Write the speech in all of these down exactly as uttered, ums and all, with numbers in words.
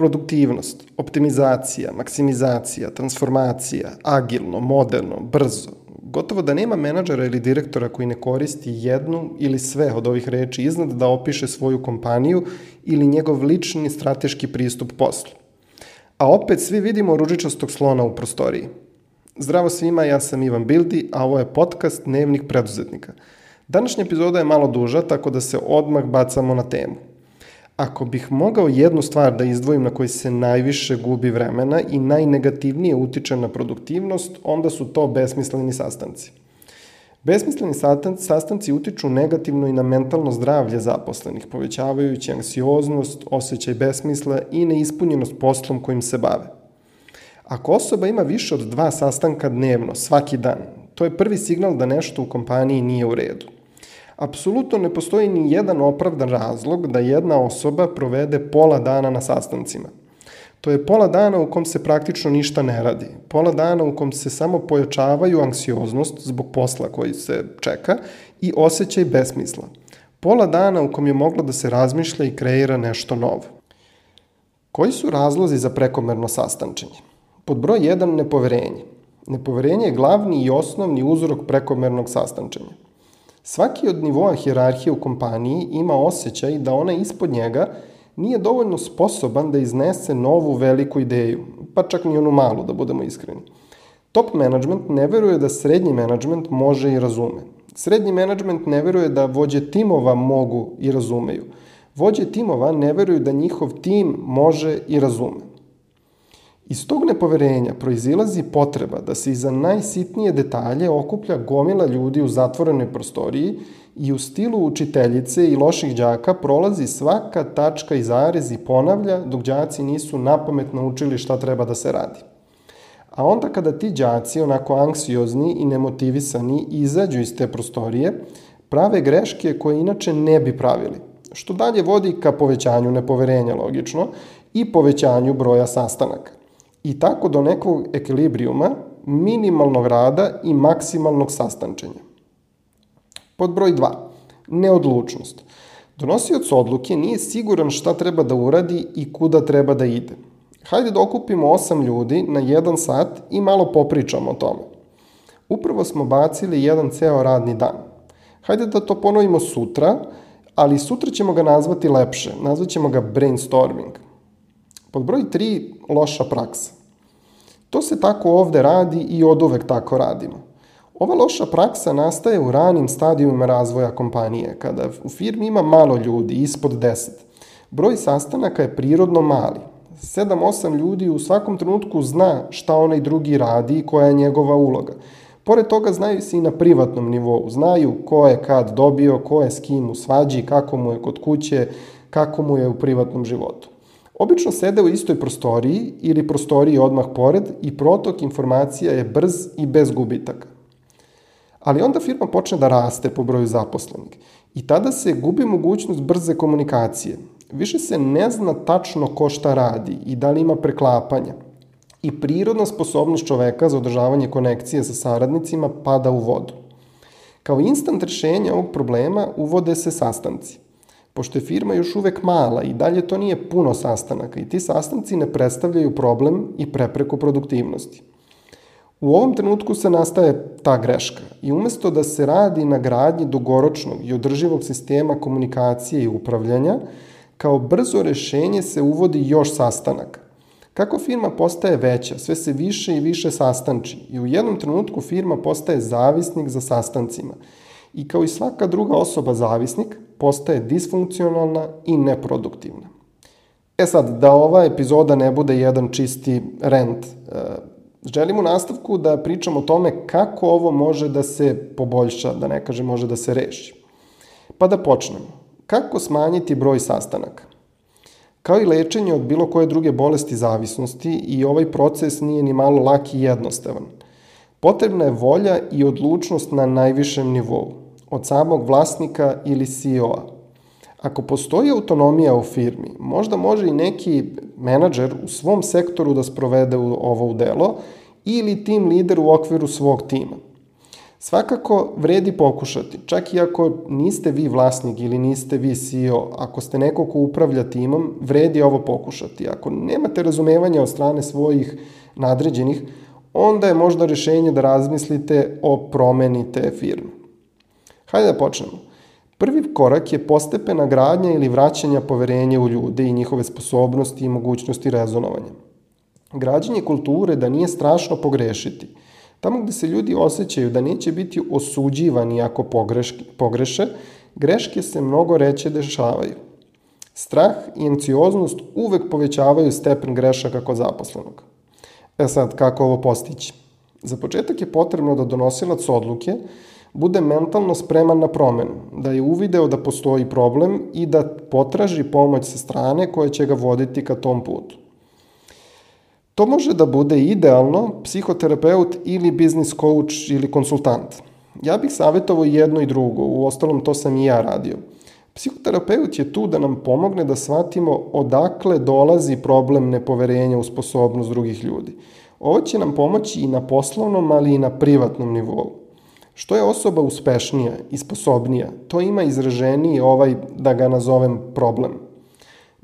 Produktivnost, optimizacija, maksimizacija, transformacija, agilno, moderno, brzo. Gotovo da nema menadžera ili direktora koji ne koristi jednu ili sve od ovih reči iznad da opiše svoju kompaniju ili njegov lični strateški pristup poslu. A opet svi vidimo ružičastog slona u prostoriji. Zdravo svima, ja sam Ivan Bildi, a ovo je podcast Dnevnik preduzetnika. Današnja epizoda je malo duža, tako da se odmah bacamo na temu. Ako bih mogao jednu stvar da izdvojim na kojoj se najviše gubi vremena i najnegativnije utiče na produktivnost, onda su to besmisleni sastanci. Besmisleni sastanci utiču negativno i na mentalno zdravlje zaposlenih, povećavajući anksioznost, osjećaj besmisla i neispunjenost poslom kojim se bave. Ako osoba ima više od dva sastanka dnevno, svaki dan, to je prvi signal da nešto u kompaniji nije u redu. Apsolutno ne postoji ni jedan opravdan razlog da jedna osoba provede pola dana na sastancima. To je pola dana u kom se praktično ništa ne radi, pola dana u kom se samo pojačavaju anksioznost zbog posla koji se čeka i osjećaj besmisla. Pola dana u kom je moglo da se razmišlja i kreira nešto novo. Koji su razlozi za prekomerno sastančenje? Pod broj jedan, nepoverenje. Nepoverenje je glavni i osnovni uzrok prekomernog sastančenja. Svaki od nivoa hijerarhije u kompaniji ima osjećaj da onaj ispod njega nije dovoljno sposoban da iznese novu veliku ideju, pa čak ni onu malu, da budemo iskreni. Top management ne veruje da srednji management može i razume. Srednji management ne veruje da vođe timova mogu i razumeju. Vođe timova ne veruju da njihov tim može i razume. Iz tog nepoverenja proizilazi potreba da se iza najsitnije detalje okuplja gomila ljudi u zatvorenoj prostoriji i u stilu učiteljice i loših đaka prolazi svaka tačka i zarez i ponavlja dok đaci nisu napamet naučili šta treba da se radi. A onda kada ti đaci, onako anksiozni i nemotivisani, izađu iz te prostorije, prave greške koje inače ne bi pravili, što dalje vodi ka povećanju nepoverenja, logično, i povećanju broja sastanaka. I tako do nekog ekvilibrijuma, minimalnog rada i maksimalnog sastančenja. Pod broj dva. Neodlučnost. Donosioc odluke nije siguran šta treba da uradi i kuda treba da ide. Hajde da okupimo osam ljudi na jedan sat i malo popričamo o tome. Upravo smo bacili jedan ceo radni dan. Hajde da to ponovimo sutra, ali sutra ćemo ga nazvati lepše, nazvat ćemo ga brainstorming. Pod broj tri, loša praksa. To se tako ovde radi i oduvek tako radimo. Ova loša praksa nastaje u ranim stadijumima razvoja kompanije, kada u firmi ima malo ljudi, ispod deset. Broj sastanaka je prirodno mali. sedam osam ljudi u svakom trenutku zna šta onaj drugi radi i koja je njegova uloga. Pored toga znaju se i na privatnom nivou. Znaju ko je kad dobio, ko je s kim u svađi, kako mu je kod kuće, kako mu je u privatnom životu. Obično sede u istoj prostoriji ili prostoriji odmah pored i protok informacija je brz i bez gubitaka. Ali onda firma počne da raste po broju zaposlenih i tada se gubi mogućnost brze komunikacije. Više se ne zna tačno ko šta radi i da li ima preklapanja. I prirodna sposobnost čoveka za održavanje konekcije sa saradnicima pada u vodu. Kao instant rešenje ovog problema uvode se sastanci. Pošto je firma još uvek mala i dalje to nije puno sastanaka i ti sastanci ne predstavljaju problem i prepreku produktivnosti. U ovom trenutku se nastaje ta greška i umesto da se radi na gradnji dugoročnog i održivog sistema komunikacije i upravljanja, kao brzo rešenje se uvodi još sastanaka. Kako firma postaje veća, sve se više i više sastanči i u jednom trenutku firma postaje zavisnik za sastancima. I kao i svaka druga osoba zavisnik, postaje disfunkcionalna i neproduktivna. E sad, da ova epizoda ne bude jedan čisti rent, želim u nastavku da pričam o tome kako ovo može da se poboljša, da ne kažem može da se reši. Pa da počnemo. Kako smanjiti broj sastanaka? Kao i lečenje od bilo koje druge bolesti zavisnosti, i ovaj proces nije ni malo lak i jednostavan. Potrebna je volja i odlučnost na najvišem nivou, od samog vlasnika ili C E O-a. Ako postoji autonomija u firmi, možda može i neki menadžer u svom sektoru da sprovede ovo u delo ili tim lider u okviru svog tima. Svakako vredi pokušati, čak i ako niste vi vlasnik ili niste vi C E O, ako ste neko ko upravlja timom, vredi ovo pokušati. Ako nemate razumevanja od strane svojih nadređenih, onda je možda rješenje da razmislite o promeni te firme. Hajde da počnemo. Prvi korak je postepena gradnja ili vraćanja poverenja u ljude i njihove sposobnosti i mogućnosti rezonovanja. Građenje kulture da nije strašno pogrešiti. Tamo gde se ljudi osjećaju da neće biti osuđivani ako pogreške, pogreše, greške se mnogo reće dešavaju. Strah i anksioznost uvek povećavaju stepen grešaka kod zaposlenog. E sad, kako ovo postići? Za početak je potrebno da donosilac odluke bude mentalno spreman na promenu, da je uvideo da postoji problem i da potraži pomoć sa strane koja će ga voditi ka tom putu. To može da bude idealno psihoterapeut ili biznis coach ili konsultant. Ja bih savjetovao jedno i drugo, u ostalom to sam i ja radio. Psihoterapeut je tu da nam pomogne da shvatimo odakle dolazi problem nepoverenja u sposobnost drugih ljudi. Ovo će nam pomoći i na poslovnom, ali i na privatnom nivou. Što je osoba uspešnija i sposobnija, to ima izraženiji ovaj, da ga nazovem, problem.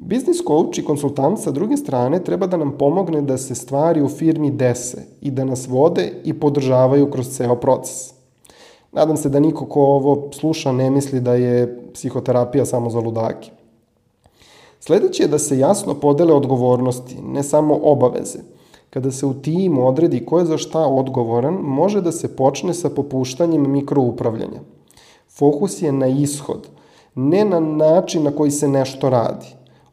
Biznis coach i konsultant sa druge strane treba da nam pomogne da se stvari u firmi dese i da nas vode i podržavaju kroz ceo proces. Nadam se da niko ko ovo sluša ne misli da je psihoterapija samo za ludake. Sljedeće je da se jasno podele odgovornosti, ne samo obaveze. Kada se u timu odredi ko je za šta odgovoran, može da se počne sa popuštanjem mikroupravljanja. Fokus je na ishod, ne na način na koji se nešto radi.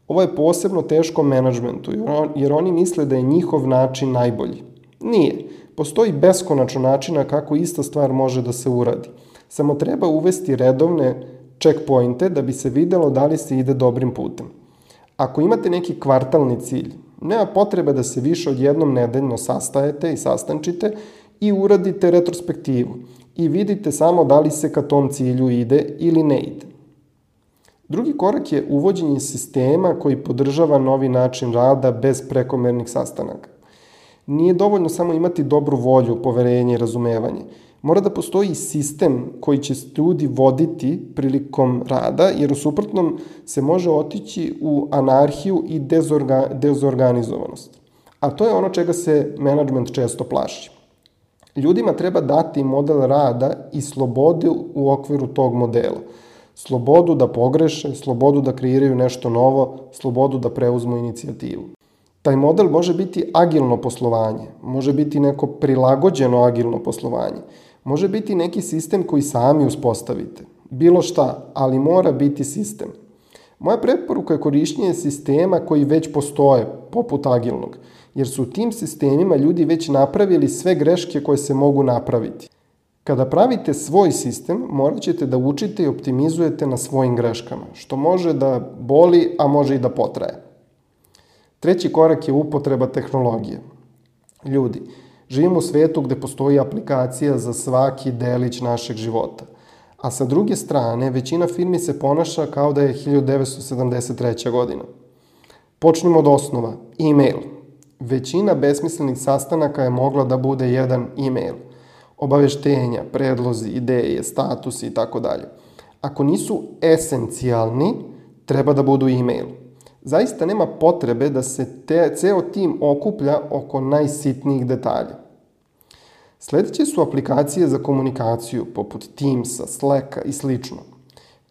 Ovo je posebno teško menadžmentu, jer oni misle da je njihov način najbolji. Nije. Postoji beskonačno načina kako ista stvar može da se uradi. Samo treba uvesti redovne checkpointe da bi se videlo da li se ide dobrim putem. Ako imate neki kvartalni cilj, nema potrebe da se više od jednom nedeljno sastajete i sastančite i uradite retrospektivu i vidite samo da li se ka tom cilju ide ili ne ide. Drugi korak je uvođenje sistema koji podržava novi način rada bez prekomernih sastanaka. Nije dovoljno samo imati dobru volju, poverenje i razumevanje. Mora da postoji sistem koji će ljudi voditi prilikom rada, jer u suprotnom se može otići u anarhiju i dezorga, dezorganizovanost. A to je ono čega se menadžment često plaši. Ljudima treba dati model rada i slobodu u okviru tog modela. Slobodu da pogreše, slobodu da kreiraju nešto novo, slobodu da preuzmu inicijativu. Taj model može biti agilno poslovanje, može biti neko prilagođeno agilno poslovanje, može biti neki sistem koji sami uspostavite. Bilo šta, ali mora biti sistem. Moja preporuka je korišćenje sistema koji već postoje, poput agilnog, jer su u tim sistemima ljudi već napravili sve greške koje se mogu napraviti. Kada pravite svoj sistem, morat ćete da učite i optimizujete na svojim greškama, što može da boli, a može i da potraje. Treći korak je upotreba tehnologije. Ljudi, živimo u svetu gde postoji aplikacija za svaki delić našeg života. A sa druge strane, većina firmi se ponaša kao da je hiljadu devetsto sedamdeset treća. godina. Počnimo od osnova. E-mail. Većina besmislenih sastanaka je mogla da bude jedan e-mail. Obaveštenja, predlozi, ideje, statusi i tako dalje. Ako nisu esencijalni, treba da budu e-mail. Zaista nema potrebe da se te, ceo tim okuplja oko najsitnijih detalja. Sljedeće su aplikacije za komunikaciju, poput Teamsa, Slacka i slično.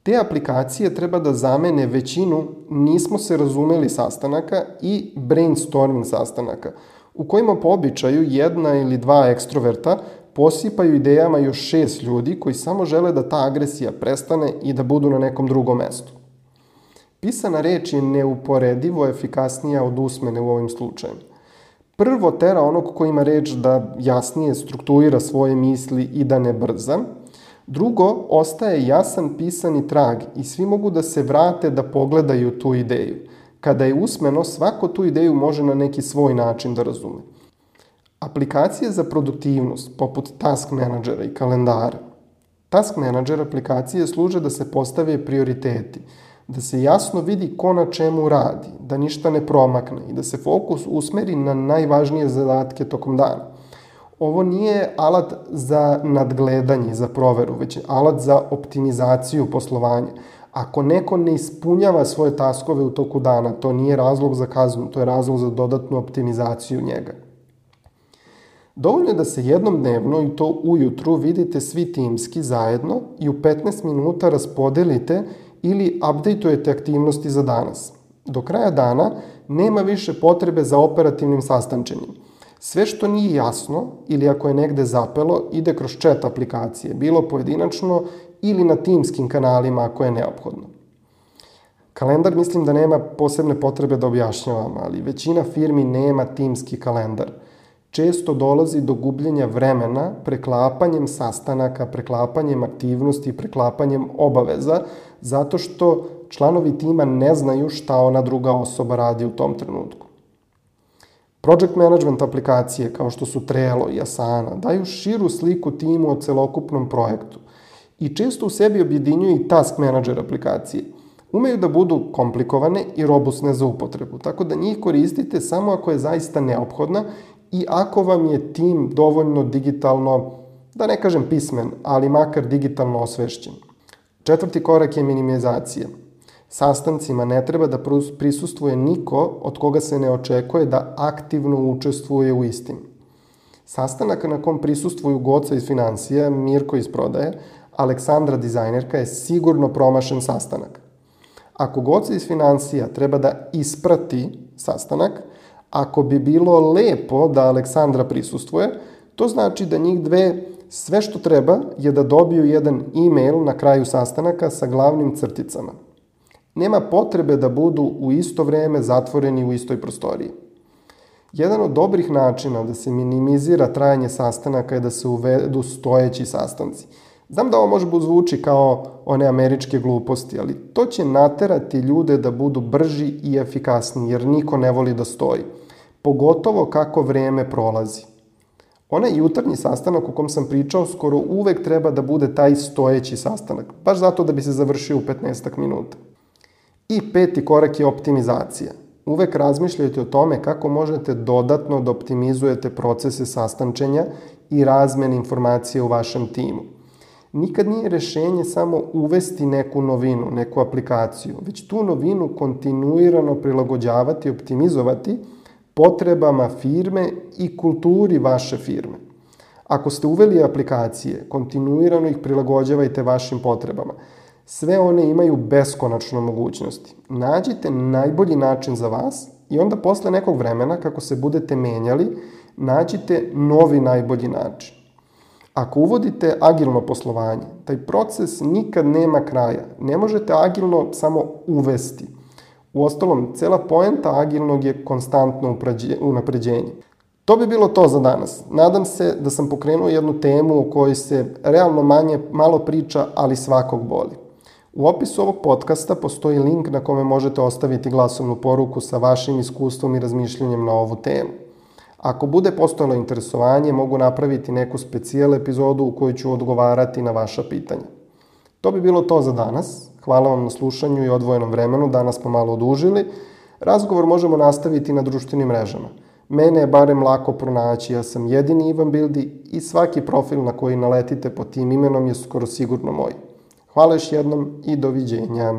Te aplikacije treba da zamene većinu nismo se razumeli sastanaka i brainstorming sastanaka, u kojima po običaju jedna ili dva ekstroverta posipaju idejama još šest ljudi koji samo žele da ta agresija prestane i da budu na nekom drugom mestu. Pisana reč je neuporedivo efikasnija od usmene u ovim slučajima. Prvo tera onog ko ima reč da jasnije strukturira svoje misli i da ne brza. Drugo, ostaje jasan pisani trag i svi mogu da se vrate da pogledaju tu ideju. Kada je usmeno, svako tu ideju može na neki svoj način da razume. Aplikacije za produktivnost, poput Task Managera i kalendara. Task Manager aplikacije služe da se postave prioriteti, da se jasno vidi ko na čemu radi, da ništa ne promakne i da se fokus usmeri na najvažnije zadatke tokom dana. Ovo nije alat za nadgledanje, za proveru, već je alat za optimizaciju poslovanja. Ako neko ne ispunjava svoje taskove u toku dana, to nije razlog za kaznu, to je razlog za dodatnu optimizaciju njega. Dovoljno je da se jednom dnevno, i to ujutru, vidite svi timski zajedno i u petnaest minuta raspodelite ili updateujete aktivnosti za danas. Do kraja dana nema više potrebe za operativnim sastančenjem. Sve što nije jasno ili ako je negde zapelo, ide kroz chat aplikacije, bilo pojedinačno ili na timskim kanalima ako je neophodno. Kalendar mislim da nema posebne potrebe da objašnjavam, ali većina firmi nema timski kalendar. Često dolazi do gubljenja vremena preklapanjem sastanaka, preklapanjem aktivnosti, preklapanjem obaveza, zato što članovi tima ne znaju šta ona druga osoba radi u tom trenutku. Project management aplikacije kao što su Trello i Asana daju širu sliku timu o celokupnom projektu i često u sebi objedinjuju i task manager aplikacije. Umeju da budu komplikovane i robustne za upotrebu, tako da njih koristite samo ako je zaista neophodna i ako vam je tim dovoljno digitalno, da ne kažem pismen, ali makar digitalno osvešćen. Četvrti korak je minimizacija. Sastancima ne treba da prisustvuje niko od koga se ne očekuje da aktivno učestvuje u istim. Sastanak na kom prisustvuju Goca iz financija, Mirko iz prodaje, Aleksandra dizajnerka je sigurno promašen sastanak. Ako Goca iz financija treba da isprati sastanak, ako bi bilo lepo da Aleksandra prisustvuje, to znači da njih dve sve što treba je da dobiju jedan e-mail na kraju sastanaka sa glavnim crticama. Nema potrebe da budu u isto vreme zatvoreni u istoj prostoriji. Jedan od dobrih načina da se minimizira trajanje sastanaka je da se uvedu stojeći sastanci. Znam da ovo može zvuči kao one američke gluposti, ali to će naterati ljude da budu brži i efikasniji, jer niko ne voli da stoji. Pogotovo kako vreme prolazi. Onaj jutarnji sastanak o kom sam pričao skoro uvek treba da bude taj stojeći sastanak, baš zato da bi se završio u petnaest minuta. I peti korak je optimizacija. Uvek razmišljajte o tome kako možete dodatno da optimizujete procese sastančenja i razmene informacije u vašem timu. Nikad nije rešenje samo uvesti neku novinu, neku aplikaciju, već tu novinu kontinuirano prilagođavati i optimizovati potrebama firme i kulturi vaše firme. Ako ste uveli aplikacije, kontinuirano ih prilagođavajte vašim potrebama. Sve one imaju beskonačno mogućnosti. Nađite najbolji način za vas i onda posle nekog vremena, kako se budete menjali, nađite novi najbolji način. Ako uvodite agilno poslovanje, taj proces nikad nema kraja. Ne možete agilno samo uvesti. Uostalom, cela poenta agilnog je konstantno unapređenje. To bi bilo to za danas. Nadam se da sam pokrenuo jednu temu o kojoj se realno manje, malo priča, ali svakog boli. U opisu ovog podcasta postoji link na kome možete ostaviti glasovnu poruku sa vašim iskustvom i razmišljanjem na ovu temu. Ako bude postojalo interesovanje, mogu napraviti neku specijal epizodu u kojoj ću odgovarati na vaša pitanja. To bi bilo to za danas. Hvala vam na slušanju i odvojenom vremenu. Danas smo malo odužili. Razgovor možemo nastaviti na društvenim mrežama. Mene je barem lako pronaći. Ja sam jedini Ivan Bildi i svaki profil na koji naletite pod tim imenom je skoro sigurno moj. Hvala još jednom i doviđenja.